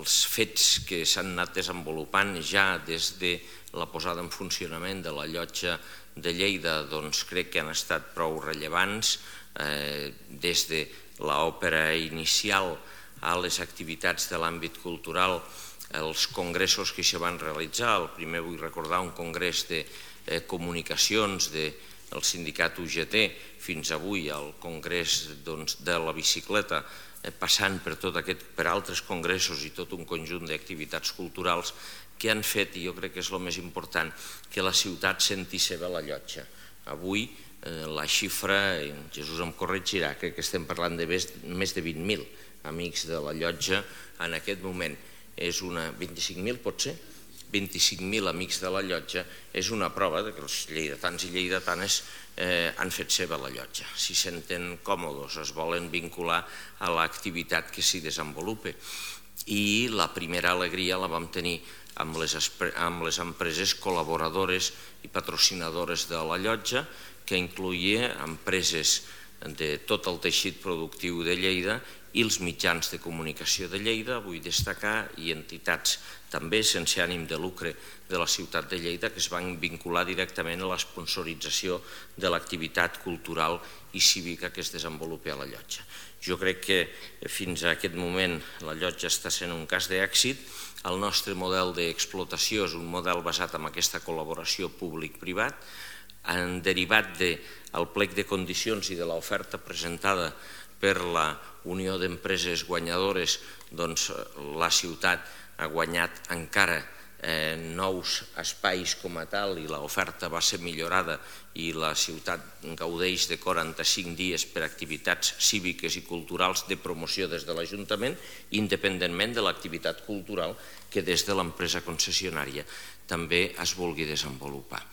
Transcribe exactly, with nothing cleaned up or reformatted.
els fets que s'han anat desenvolupant ja des de la posada en funcionament de la llotja de Lleida doncs crec que han estat prou rellevants, des de l'òpera inicial a les activitats de l'àmbit cultural, els congressos que s'hi van realitzar. El primer vull recordar un congrés de comunicacions del sindicat U G T fins avui, el congrés de la bicicleta, passant per tot aquest, per altres congressos i tot un conjunt d'activitats culturals que han fet, i jo crec que és el més important, que la ciutat senti seva la llotja. Avui la xifra, Jesús em corregirà, crec que estem parlant de més de vint mil amics de la llotja en aquest moment. És una... vint-i-cinc mil pot ser? vint-i-cinc mil amics de la llotja és una prova que els lleidatans i lleidatanes han fet seva la llotja. Si senten còmodes, es volen vincular a l'activitat que s'hi desenvolupa. I la primera alegria la vam tenir amb les empreses col·laboradores i patrocinadores de la llotja, que incloïa empreses de tot el teixit productiu de Lleida i els mitjans de comunicació de Lleida, vull destacar, i entitats també sense ànim de lucre de la ciutat de Lleida que es van vincular directament a l'esponsorització de l'activitat cultural i cívica que es desenvolupa a la llotja. Jo crec que fins a aquest moment la llotja està sent un cas d'èxit. El nostre model d'explotació és un model basat en aquesta col·laboració públic-privat. En derivat del plec de condicions i de l'oferta presentada per la Unió d'Empreses Guanyadores, doncs la ciutat ha guanyat encara nous espais com a tal i l'oferta va ser millorada i la ciutat gaudeix de quaranta-cinc dies per activitats cíviques i culturals de promoció des de l'Ajuntament, independentment de l'activitat cultural que des de l'empresa concessionària també es vulgui desenvolupar.